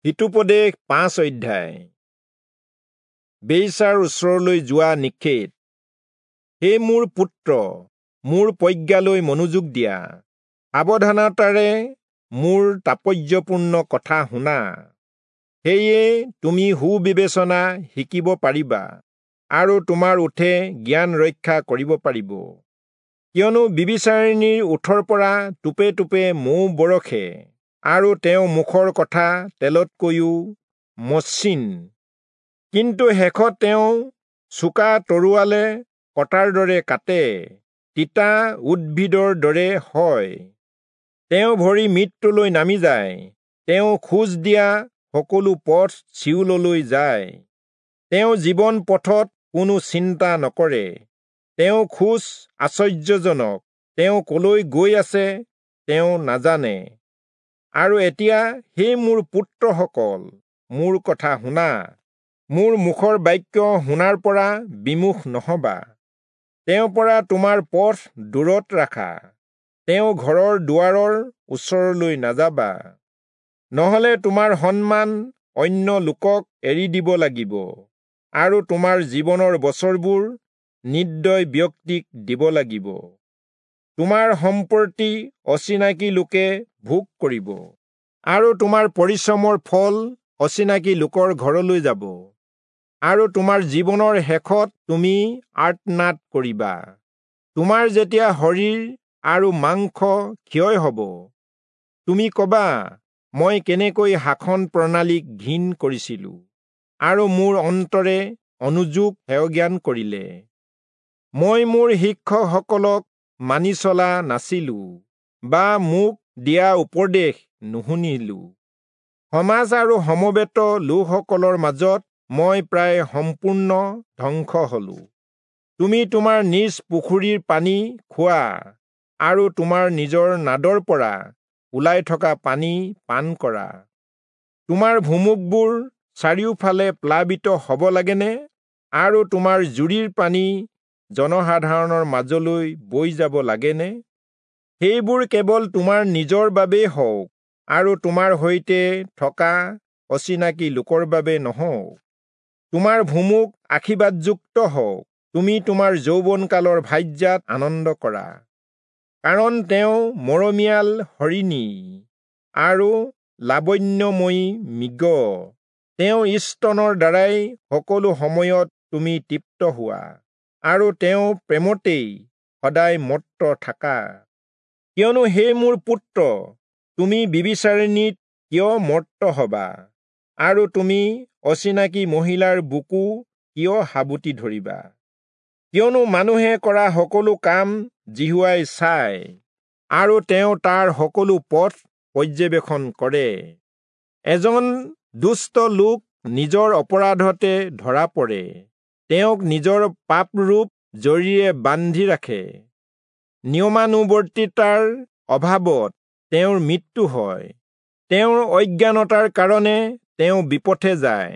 হিতোপদেশ 5 অধ্যায়। বেশ্যাৰ ওচৰলৈ যোৱা নিষেধ। হে মোৰ পুত্ৰ, মোৰ প্ৰজ্ঞালৈ মনোযোগ দিয়া, সাৱধানতাৰে মোৰ তাৎপৰ্যপূৰ্ণ কথা শুনা। সেয়ে তুমি সুবিবেচনা শিকিব পাৰিবা আৰু তোমাৰ ওঁঠে জ্ঞান ৰক্ষা কৰিব পাৰিব। কিয়নো ব্যভিচাৰিণীৰ ওঁঠৰ পৰা টোপে টোপে মৌ বৰষে আৰু তেওঁ মুখৰ কথা তেলতকৈও মসৃণ। কিন্তু শেষত তেওঁ চোকা তৰোৱালে কটাৰ দৰে কাটে, তিতা উদ্ভিদৰ দৰে হয়। তেওঁ ভৰি মৃত্যুলৈ নামি যায়, তেওঁ খোজ দিয়া সকলো পথ চিয়োললৈ যায়। তেওঁ জীৱন পথত কোনো চিন্তা নকৰে, তেওঁ খোজ আশ্চৰ্যজনক, তেওঁ কলৈ গৈ আছে তেওঁ নাজানে। আৰু এতিয়া হে মোৰ পুত্ৰসকল, মোৰ কথা শুনা, মোৰ মুখৰ বাক্য শুনাৰ পৰা বিমুখ নহবা। তেওঁৰ পৰা তোমাৰ পথ দূৰত ৰাখা, তেওঁ ঘৰৰ দুৱাৰৰ ওচৰলৈ নাযাবা। নহলে তোমাৰ সন্মান অন্য লোকক এৰি দিব লাগিব আৰু তোমাৰ জীৱনৰ বছৰবোৰ নিৰ্দয় ব্যক্তিক দিব লাগিব। তোমাৰ সম্পত্তি অচিনাকি লোকে ভোগ কৰিব আৰু তোমাৰ পৰিশ্ৰমৰ ফল অচিনাকি লোকৰ ঘৰলৈ যাব। আৰু তোমাৰ জীৱনৰ শেষত তুমি আৰ্তনাদ কৰিবা। তোমাৰ যেতিয়া শৰীৰ আৰু মাংস ক্ষয় হ'ব, তুমি কবা, মই কেনেকৈ শাসন প্ৰণালীক ঘিণ কৰিছিলো আৰু মোৰ অন্তৰে অনুযোগ হেয়জ্ঞান কৰিলে। মই মোৰ শিক্ষকসকলক মানি চলা নাছিলো বা মোক দিয়া উপদেশ নুশুনিলো। সমাজ আৰু সমবেত লোকসকলৰ মাজত মই প্ৰায় সম্পূৰ্ণ ধ্বংস হলো। তুমি তোমাৰ নিজ পুখুৰীৰ পানী খোৱা আৰু তোমাৰ নিজৰ নাদৰ পৰা ওলাই থকা পানী পান কৰা। তোমাৰ ভুমুকবোৰ চাৰিওফালে প্লাবিত হ'ব লাগেনে আৰু তোমাৰ জুৰিৰ পানী জনসাধাৰণৰ মাজলৈ বৈ যাব লাগেনে? সেইবোৰ কেৱল তোমাৰ নিজৰ বাবেই হওক আৰু তোমাৰ সৈতে থকা অচিনাকি লোকৰ বাবে নহওক। তোমাৰ ভুমুক আশীৰ্বাদযুক্ত হওক, তুমি তোমাৰ যৌৱনকালৰ ভাৰ্যাত আনন্দ কৰা। কাৰণ তেওঁ মৰমীয়াল হৰিণী আৰু লাৱণ্যময়ী মৃগ। তেওঁ স্তনৰ দ্বাৰাই সকলো সময়ত তুমি তৃপ্ত হোৱা আৰু তেওঁ প্ৰেমতেই সদায় মত্ত থাকা। কিয়নো হে মোৰ পুত্ৰ, তুমি ব্যভিচাৰিণীত কিয় মত্ত হবা আৰু তুমি অচিনাকি মহিলাৰ বুকু কিয় সাৱটি ধৰিবা? কিয়নো মানুহে কৰা সকলো কাম যিহোৱাই চায় আৰু তেওঁ তাৰ সকলো পথ পৰ্যবেক্ষণ কৰে। এজন দুষ্ট লোক নিজৰ অপৰাধতে ধৰা পৰে, তেওঁক নিজৰ পাপৰূপ জৰীৰে বান্ধি ৰাখে। নিয়মানুৱৰ্তিতাৰ অভাৱত তেওঁৰ মৃত্যু হয়, তেওঁৰ অজ্ঞানতাৰ কাৰণে তেওঁ বিপথে যায়।